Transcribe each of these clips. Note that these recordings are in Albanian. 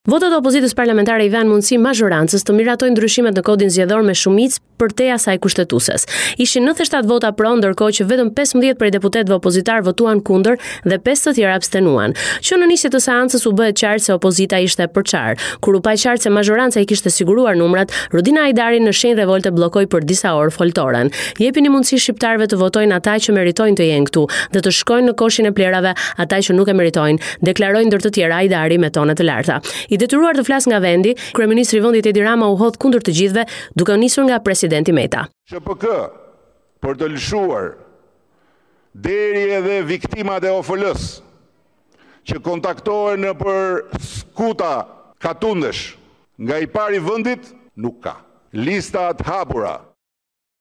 Votat e opozitës parlamentare i dhanë mundësi mazhorancës të miratojë ndryshimet në kodin zgjedhor me shumicë përtej asaj kushtetueses. Ishin 97 vota pro, ndërkohë që vetëm 15 prej deputetëve opozitarë votuan kundër dhe 5 të tjerë abstenuan. Që në nisje të seancës u bë e qartë se opozita ishte e përçarë. Kur u pa qartë se mazhoranca i kishte siguruar numrat, Rudina Hajdari në shenjë revolte bllokoi për disa orë foltoren. Jepini mundësi shqiptarëve të votojnë ata që meritojnë të jenë këtu dhe të shkojnë në koshin e plehrave ata që nuk e meritojnë, deklaroi ndër të tjera Hajdari me tone të larta. I detyruar të flasë nga vendi, kryeministri i vendit Edi Rama u hodh kundër të gjithëve, duke u nisur nga presidenti Meta. SHPK për të lëshuar deri edhe viktimat e OFL-së që kontaktohen nëpër skuta katundesh nga i pari i vendit nuk ka. Lista të hapura.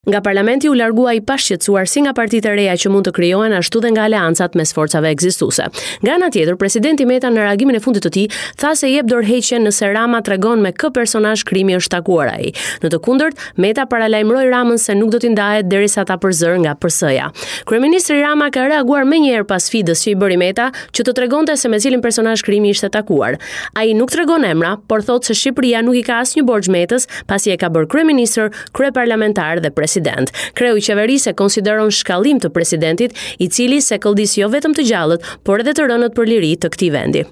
Nga parlamenti u largua i pashqetësuar si nga partitë e reja që mund të krijohen ashtu dhe nga aleancat mes forcave ekzistuese. Nga ana tjetër, presidenti Meta në reagimin e fundit të tij tha se jep dorëheqjen nëse Rama tregon me kë personazh krimi është takuar ai. Në të kundërt, Meta paralajmëroi Ramën se nuk do t'i ndahet derisa ta përzërë nga PS-ja. Kryeministri Rama ka reaguar menjëherë pas sfidës që i bëri Meta që të tregonte se me cilin personazh krimi ishte takuar. Ai nuk tregon emra, por thotë se Shqipëria nuk i ka asnjë borxh Metës, pasi e ka bërë kryeministër kryeparlamentar dhe president. Kreu i qeverisë e konsideron shkallim të presidentit, i cili sëkëlldis jo vetëm të gjallët, por edhe të rënët për liri të këtij vendi.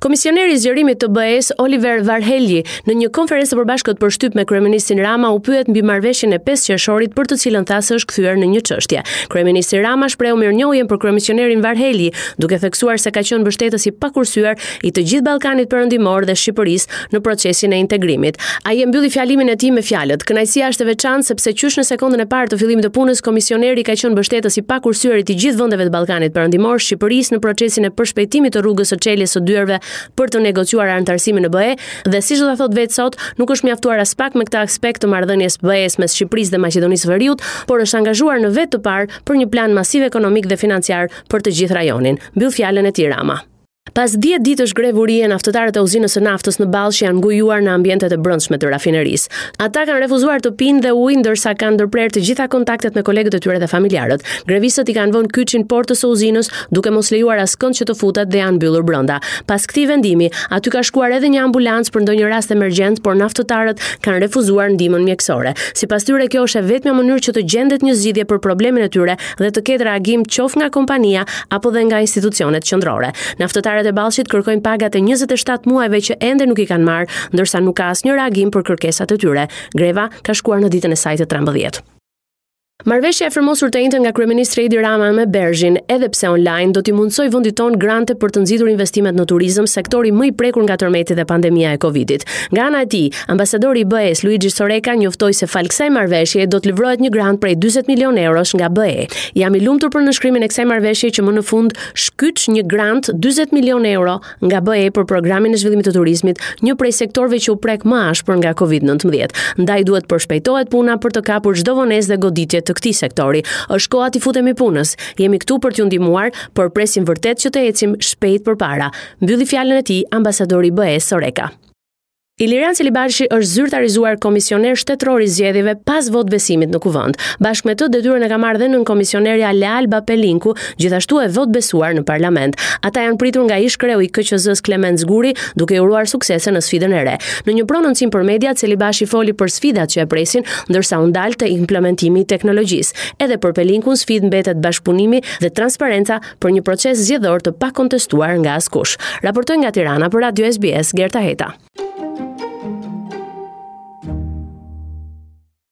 Komisioneri i zgjerimit të BE-së, Oliver Varhelyi, në një konferencë të përbashkët për shtyp me kryeministrin Rama u pyet mbi marrëveshjen e 5 qershorit për të cilën tha se është kthyer në një çështje. Kryeministri Rama shprehu mirënjohjen për komisionerin Varhelyi, duke theksuar se ka qenë mbështetës i pakursyer i të gjithë Ballkanit Perëndimor dhe Shqipërisë në procesin e integrimit. Ai e mbylli fjalimin e tij me fjalët: Kënaqësia është e veçantë sepse qysh në sekondën e parë të fillimit të punës, komisioneri ka qenë mbështetës i pakursyer i të gjithë vendeve të Ballkanit Perëndimor, Shqipërisë në procesin e përshpejtimit të rrugës së çeljes së dyerve për të negociuar anëtarësimin në BE dhe siç do ta thotë vetë sot, nuk është mjaftuar aspak me këtë aspekt të marrëdhënies BE-së mes Shqipërisë dhe Maqedonisë së Veriut, por është angazhuar në vetë të parë për një plan masiv ekonomik dhe financiar për të gjithë rajonin. Mbyll fjalën e tij Rama. Pas 10 ditësh grevë urie, naftëtarët e uzinës së naftës në Ballsh janë ngujuar në ambientet e brendshme të rafinerisë. Ata kanë refuzuar të pinë dhe ujë, ndërsa kanë ndërprerë të gjitha kontaktet me kolegët e tyre dhe familjarët. Grevistët i kanë vënë kyçin portës së uzinës, duke mos lejuar askënd që të futet dhe janë mbyllur brenda. Pas këtij vendimi, aty ka shkuar edhe një ambulancë për ndonjë rast emergjent, por naftëtarët kanë refuzuar ndihmën mjekësore. Sipas tyre, kjo është e vetmja mënyrë që të gjendet një zgjidhje për problemin e tyre dhe të ketë reagim qoftë nga kompania apo dhe nga institucionet qendrore. Naftëtarët e Ballshit kërkojnë pagat e 27 muajve që ende nuk i kanë marrë, ndërsa nuk ka asnjë reagim për kërkesat e tyre. Greva ka shkuar në ditën e saj të 13. Marrëveshja e firmosur të enjten nga kryeministri Edi Rama me BERZH-in, edhe pse online, do t'i mundësojë vendit tonë grante për të nxitur investimet në turizëm, sektori më i prekur nga tërmeti dhe pandemia e Covidit. Nga ana e tij, ambasadori i BE-së Luigi Soreca njoftoi se falë kësaj marrëveshjeje do të livrohet një grant prej 40 milionë eurosh nga BE. Jam i lumtur për nënshkrimin e kësaj marrëveshjeje që më në fund shkyç një grant 40 milionë euro nga BE për programin e zhvillimit të turizmit, një prej sektorëve që u prek më ashpër nga Covid-19. Ndaj duhet përshpejtohet puna për të kapur çdo vonesë dhe goditje të këtij sektori. Është koha t'i futemi punës. Jemi këtu për t'ju ndihmuar, por presim vërtet që të ecim shpejt përpara. Mbylli fjalën e tij ambasadori i BE-së Soreca. Ilirian Celibashi është zyrtarizuar komisioner shtetëror i zgjedhjeve pas votëbesimit në Kuvend. Bashkë me të detyrën e ka marrë dhe nënkomisionerja Lealba Pelinku, gjithashtu e votëbesuar në parlament. Ata janë pritur nga ish-kreu i KQZ-së Klement Zguri, duke i uruar suksese në sfidën e re. Në një prononcim për mediat, Celibashi foli për sfidat që e presin, ndërsa u ndal te implementimi i teknologjisë. Edhe për Pelinkun sfidë mbetet bashkëpunimi dhe transparenca për një proces zgjedhor të pakontestuar nga askush. Raportoi nga Tirana për Radio SBS Gerta Heta.